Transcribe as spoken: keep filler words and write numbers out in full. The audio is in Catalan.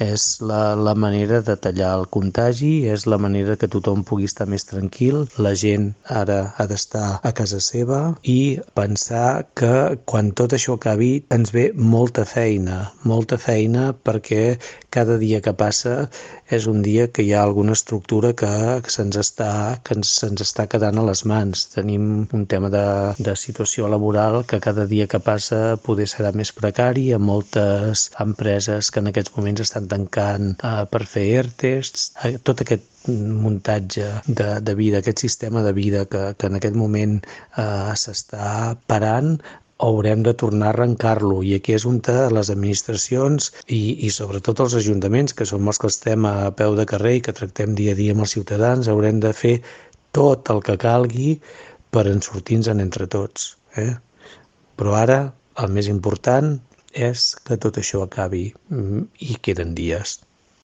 És la, la manera de tallar el contagi, és la manera que tothom pugui estar més tranquil. La gent ara ha d'estar a casa seva i pensar que quan tot això acabi ens ve molta feina, molta feina perquè cada dia que passa és un dia que hi ha alguna estructura que se'ns està, que ens, se'ns està quedant a les mans. Tenim un tema de, de situació laboral que cada dia que passa poder serà més precari, amb moltes empreses que en aquests moments estan tancant eh, per fer ERTEs, eh, tot aquest muntatge de, de vida, aquest sistema de vida que, que en aquest moment eh, s'està parant, haurem de tornar a arrencar-lo, i aquí és on les administracions i, i sobretot els ajuntaments, que som els que estem a peu de carrer i que tractem dia a dia amb els ciutadans, haurem de fer tot el que calgui per en sortir-nos-en entre tots. Eh? Però ara el més important és que tot això acabi, i queden dies.